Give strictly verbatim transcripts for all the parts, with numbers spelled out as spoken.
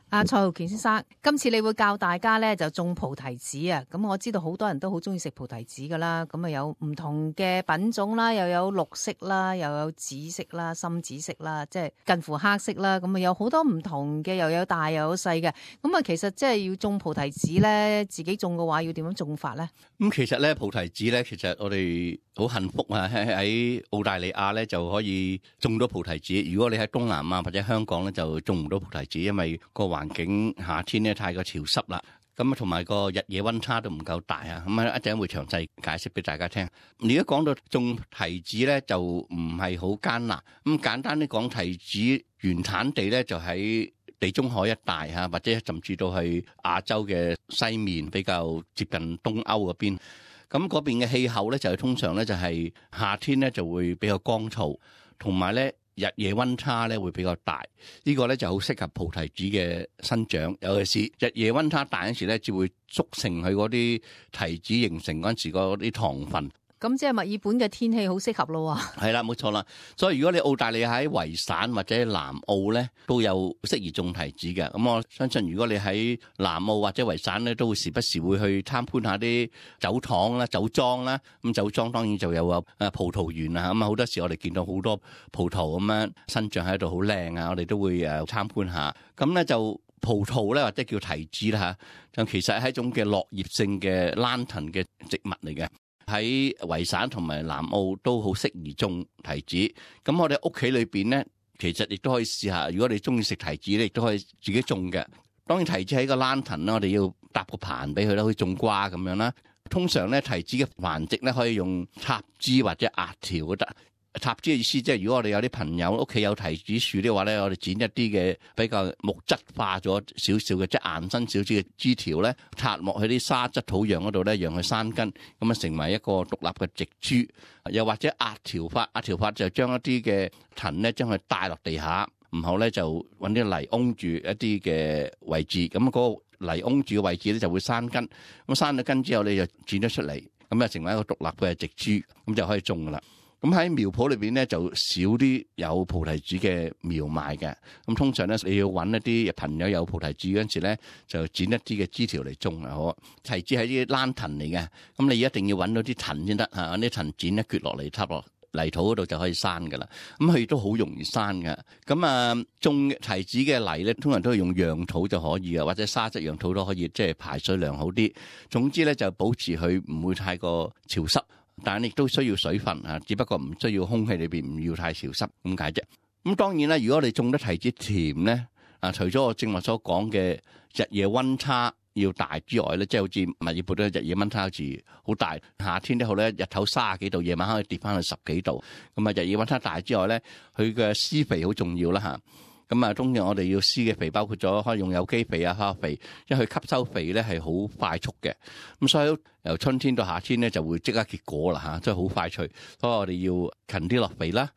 阿蔡浩權先生，今次你會教大家咧就種菩提子啊！咁我知道好多人都好中意食菩提子噶啦，咁啊有唔同嘅品種啦，又有綠色啦，又有紫色啦、深紫色啦，即係近乎黑色啦，咁啊有好多唔同嘅，又有大又有細嘅。咁啊，其實即係要種菩提子咧，自己種嘅話要點樣種法咧？咁其實咧菩提子咧，其實我哋好幸福啊！喺澳大利亞咧就可以種到菩提子。如果你喺東南亞或者香港咧，就種唔到菩提子，因為個環境夏天咧太過潮濕啦。咁啊，同埋個日夜溫差都唔夠大啊。咁啊，一陣會詳細解釋俾大家聽。而家講到種提子咧，就唔係好艱難。咁簡單啲講，提子原產地咧就喺地中海一帶嚇，或者甚至到去亞洲嘅西面，比較接近東歐嗰邊。咁嗰邊嘅氣候咧就係通常咧就係夏天咧就會比較乾燥，同埋咧日夜溫差咧會比較大。呢個咧就好適合菩提子嘅生長，尤其是日夜溫差大嗰時咧，就會促成佢嗰啲提子形成嗰陣時嗰啲糖分。咁即係墨爾本嘅天氣好適合咯喎。係啦，冇錯啦。所以如果你澳大利亞喺維省或者南澳咧，都有適宜種提子嘅。咁我相信如果你喺南澳或者維省咧，都會時不時會去參觀下啲酒廠啦、酒莊啦。咁酒莊當然就有啊葡萄園啊。咁啊好多時我哋見到好多葡萄咁樣生長喺度，好靚啊！我哋都會誒參觀下。咁咧就葡萄咧或者叫提子啦嚇，就其實係一種嘅落葉性嘅蘭藤嘅植物嚟嘅。喺維省同埋南澳都好適宜種提子。咁我哋屋企裏邊咧，其實亦都可以試下。如果你中意食提子咧，亦都可以自己種嘅。當然提子喺個蘭藤啦，我哋要搭個棚俾佢啦，好似種瓜咁樣啦。通常咧提子嘅繁殖咧可以用插枝或者壓條都得。插枝嘅意思即係如果我哋有啲朋友屋企有提子樹嘅話咧，我哋剪一啲嘅比較木質化咗少少嘅，即係硬身少少嘅枝條咧，插落去啲沙質土壤嗰度咧，讓佢生根，咁啊成為一個獨立嘅植株。又或者壓條法，壓條法就將一啲嘅藤咧，將佢帶落地下，然後咧就揾啲泥擁住一啲嘅位置，咁嗰個泥擁住嘅位置咧就會生根。咁生咗根之後，你就剪咗出嚟，咁啊成為一個獨立嘅植株，咁就可以種噶啦。咁喺苗圃裏邊咧就少啲有菩提子嘅苗賣嘅，咁通常咧你要揾一啲朋友有菩提子嗰陣時咧，就剪一啲嘅枝條嚟種啊。好，提子係啲蘭藤嚟嘅，咁你一定要揾到啲藤先得嚇，啲藤剪一撅落嚟插落泥土嗰度就可以生噶啦。咁佢都好容易生嘅。咁啊種提子嘅泥咧，通常都係用壤土就可以嘅，或者沙質壤土都可以，即係排水良好啲。總之咧就保持佢唔會太過潮濕。但係亦都需要水分啊，只不過唔需要空氣裏邊唔要太潮濕咁解啫。咁當然啦，如果你種得提子甜咧，啊，除咗我正話所講嘅日夜溫差要大之外咧，即係好似墨爾本咧日夜溫差好似好大，夏天咧好咧日頭三十幾度，夜晚可以跌翻去十幾度。咁啊，日夜溫差大之外咧，佢嘅施肥好重要啦嚇。咁啊，當然我哋要施嘅肥包括咗可以用有機肥啊、化學肥，因為佢吸收肥咧係好快速嘅。咁所以由春天到夏天咧就會即刻結果啦嚇，即係好快脆。所以我哋要勤啲落肥啦。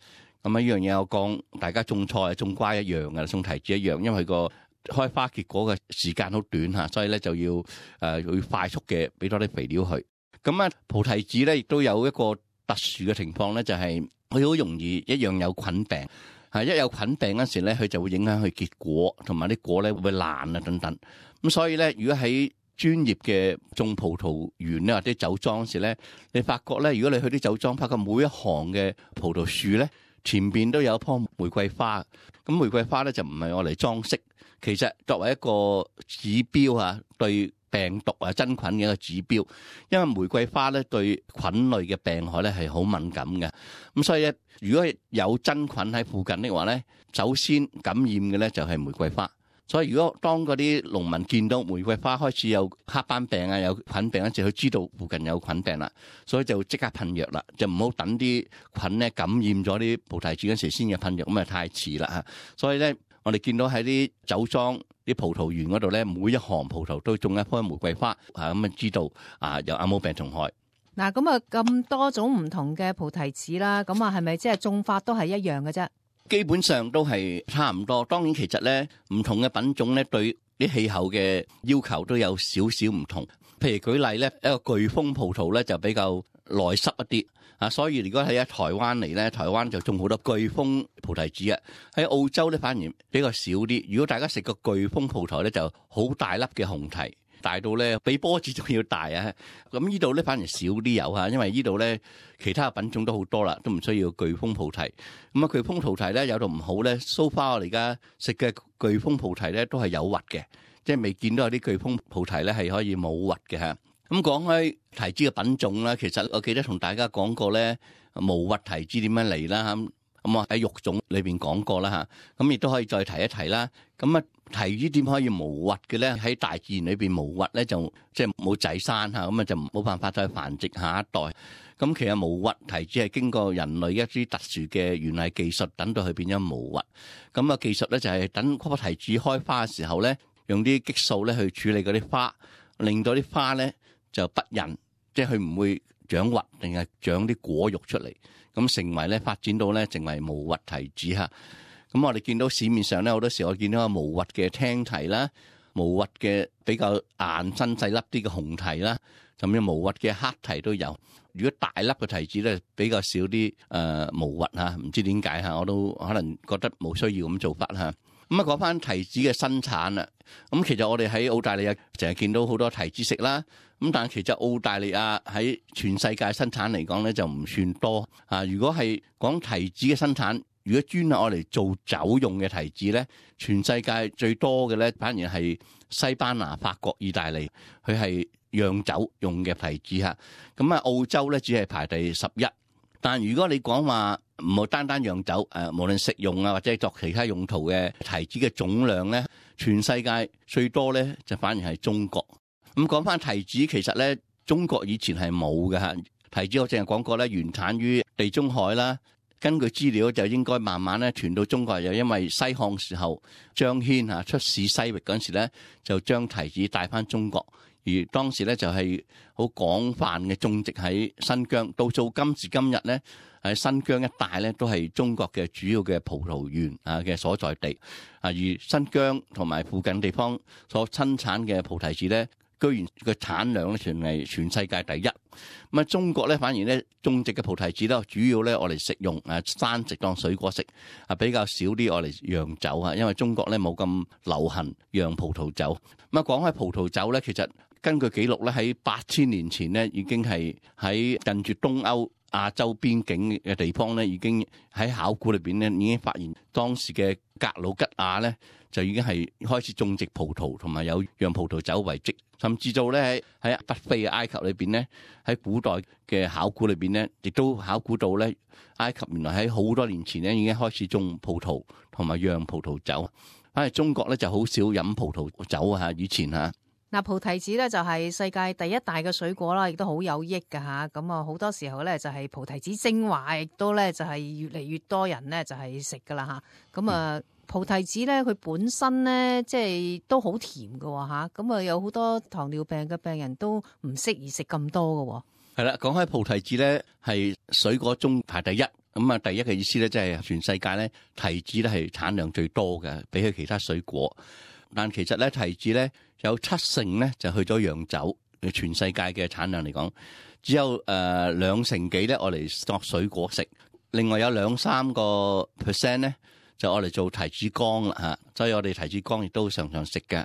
咁啊，呢樣嘢我講，大家種菜、種瓜一樣嘅，種提子一樣，因為佢個開花結果嘅時間好短嚇，所以咧就要誒要快速嘅俾多啲肥料佢。咁啊，菩提子咧亦都有一個特殊嘅情況咧，就係佢好容易一樣有菌病。係一有菌病嗰時咧，佢就會影響佢結果，同埋啲果咧會爛啊等等。咁所以咧，如果喺專業嘅種葡萄園咧或者酒莊嗰時咧，你發覺咧，如果你去啲酒莊，發覺每一行嘅葡萄樹咧前邊都有一棵玫瑰花。咁玫瑰花咧就唔係我嚟裝飾，其實作為一個指標啊，對病毒啊真菌嘅一個指標。因為玫瑰花咧對菌類嘅病害咧係好敏感嘅。咁所以咧，如果有真菌喺附近的話咧，首先感染嘅咧就係玫瑰花。所以如果當嗰啲農民見到玫瑰花開始有黑斑病啊、有菌病嗰時，佢知道附近有菌病啦，所以就即刻噴藥啦，就唔好等啲菌咧感染咗啲葡提子嗰時先至噴藥，咁啊太遲啦嚇。所以咧，我哋見到喺啲酒莊、啲葡萄園嗰度咧，每一行葡萄都種一棵玫瑰花，啊咁啊知道啊有亞毛病蟲害。嗱，咁啊咁多種唔同嘅菩提子啦，咁啊係咪即係種法都係一樣嘅啫？基本上都係差唔多。當然其實咧，唔同嘅品種咧對啲氣候嘅要求都有少少唔同。譬如舉例咧，一個巨峰葡萄咧就比較耐濕一啲。啊，所以如果喺台灣嚟咧，台灣就種好多巨峰菩提子啊。喺澳洲咧反而比較少啲。如果大家食個巨峰葡萄咧，就好大粒嘅紅提，大到咧比波子仲要大啊。咁呢度咧反而少啲有嚇，因為呢度咧其他品種都好多啦，都唔需要巨峰菩提。咁啊，巨峰菩提咧有度唔好咧，so far我哋而家食嘅巨峰菩提咧都係有核嘅，即係未見到有啲巨峰菩提咧係可以冇核嘅嚇。咁講開提子嘅品種啦，其實我記得同大家講過咧，無核提子點樣嚟啦，咁咁啊喺育種裏邊講過啦嚇，咁亦都可以再提一提啦。咁啊提子點可以無核嘅咧？喺大自然裏邊無核咧就即係冇仔生嚇，咁啊就冇辦法再繁殖下一代。咁其實無核提子係經過人類一啲特殊嘅園藝技術，等到佢變咗無核。咁啊技術咧就係等嗰個提子開花嘅時候咧，用啲激素咧去處理嗰啲花，令到啲花咧就不孕，即係佢唔會長核，定係長啲果肉出嚟，咁成為咧發展到咧成為無核提子嚇。咁我哋見到市面上咧好多時我見到個無核嘅青提啦，無核嘅比較硬身細粒啲嘅紅提啦，甚至無核嘅黑提都有。如果大粒嘅提子咧比較少啲誒、呃、無核嚇，唔知點解嚇，我都可能覺得冇需要咁做法嚇。咁啊講翻提子嘅生產啦，咁其實我哋喺澳大利亞成日見到好多提子食啦，咁但係其實澳大利亞喺全世界生產嚟講咧就唔算多啊。如果係講提子嘅生產，如果專係我嚟做酒用嘅提子咧，全世界最多嘅咧反而係西班牙、法國、意大利，佢係釀酒用嘅提子嚇。咁啊澳洲咧只係排第十一。但如果你講話唔好單單釀酒，誒無論食用啊或者作其他用途嘅提子嘅總量咧，全世界最多咧就反而係中國。咁講翻提子，其實咧中國以前係冇嘅嚇。提子我淨係講過咧，原產於地中海啦。根據資料就應該慢慢咧傳到中國，又因為西漢時候張騫嚇出使西域嗰陣時咧，就將提子帶翻中國。而當時咧就係好廣泛嘅種植喺新疆，到做今時今日咧喺新疆一帶咧都係中國嘅主要嘅葡萄園啊嘅所在地啊。而新疆同埋附近地方所生產嘅菩提子咧，居然個產量咧全係全世界第一。咁啊，中國咧反而咧種植嘅菩提子咧，主要咧我嚟食用啊，生食當水果食啊，比較少啲我嚟釀酒啊。因為中國咧冇咁流行釀葡萄酒。咁啊，講開葡萄酒咧，其實根據記錄咧，喺八千年前咧已經係喺近住東歐亞洲邊境嘅地方咧，已經喺考古裏邊咧已經發現當時嘅格魯吉亞咧就已經係開始種植葡萄，同埋有釀葡萄酒遺跡。甚至到咧喺北非嘅埃及裏邊咧，喺古代嘅考古裏邊咧，亦都考古到咧埃及原來喺好多年前咧已經開始種葡萄同埋釀葡萄酒。反而中國咧就好少飲葡萄酒啊，以前嚇。嗱，菩提子咧就係世界第一大嘅水果啦，亦都好有益㗎吓。咁啊，好多時候咧就係菩提子精華，亦都咧就係越嚟越多人咧就係食噶啦吓。咁啊，菩提子咧佢本身咧即係都好甜㗎吓。咁啊，有好多糖尿病嘅病人都唔適宜食咁多㗎。係啦，講開菩提子咧係水果中排第一。咁啊，第一嘅意思咧即係全世界咧提子咧係產量最多嘅，比起其他水果。但其實咧提子咧有七成咧就去咗釀酒，全世界嘅產量嚟講，只有誒、呃、兩成幾咧我嚟作水果食，另外有兩三個 percent 咧就我嚟做提子乾啦嚇，所以我哋提子乾亦都常常食嘅。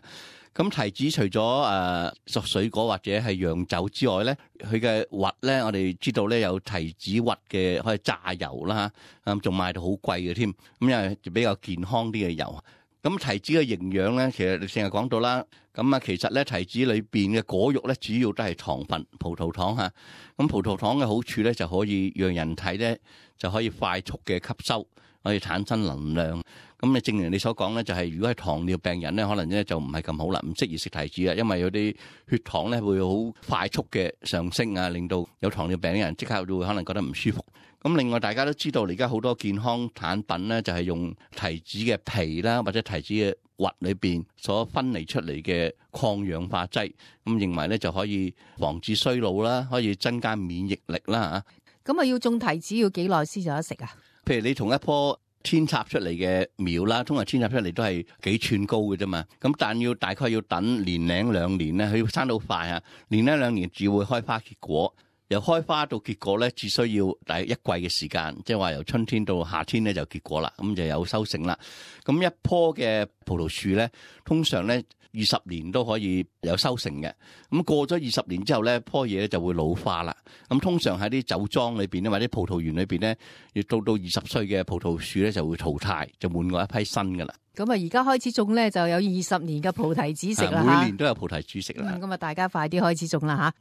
咁提子除咗誒作水果或者係釀酒之外咧，佢嘅核咧我哋知道咧有提子核嘅可以榨油啦嚇，咁仲賣到好貴嘅添，咁因為比較健康啲嘅油。咁提子嘅營養咧，其實你成日講到啦。咁啊，其實咧提子裏邊嘅果肉咧，主要都係糖分，葡萄糖嚇。咁葡萄糖嘅好處咧，就可以讓人體咧就可以快速嘅吸收，可以產生能量。咁你正如你所講咧，就係如果係糖尿病人咧，可能咧就唔係咁好啦，唔適宜食提子啊，因為有啲血糖咧會好快速嘅上升啊，令到有糖尿病嘅人即刻會可能覺得唔舒服。咁另外大家都知道，而家好多健康產品咧，就係用提子嘅皮啦，或者提子嘅核裏邊所分離出嚟嘅抗氧化劑，咁認為咧就可以防止衰老啦，可以增加免疫力啦嚇。咁啊，要種提子要幾耐先有得食啊？譬如你同一棵扦插出嚟嘅苗啦，通常扦插出嚟都係幾寸高嘅啫嘛，咁但要大概要等年零兩年咧，佢要生到快啊，年零兩年至會開花結果。由開花到結果咧，只需要大約一季嘅時間，即係話由春天到夏天咧就結果啦，咁就有收成啦。咁一棵嘅葡萄樹咧，通常咧二十年都可以有收成嘅。咁過咗二十年之後咧，棵嘢咧就會老化啦。咁通常喺啲酒莊裏邊咧，或者葡萄園裏邊咧，要到到二十歲嘅葡萄樹咧就會淘汰，就換過一批新噶啦。咁啊，而家開始種咧，就有二十年嘅菩提子食啦。每年都有菩提子食啦。咁啊，大家快啲開始種啦吓。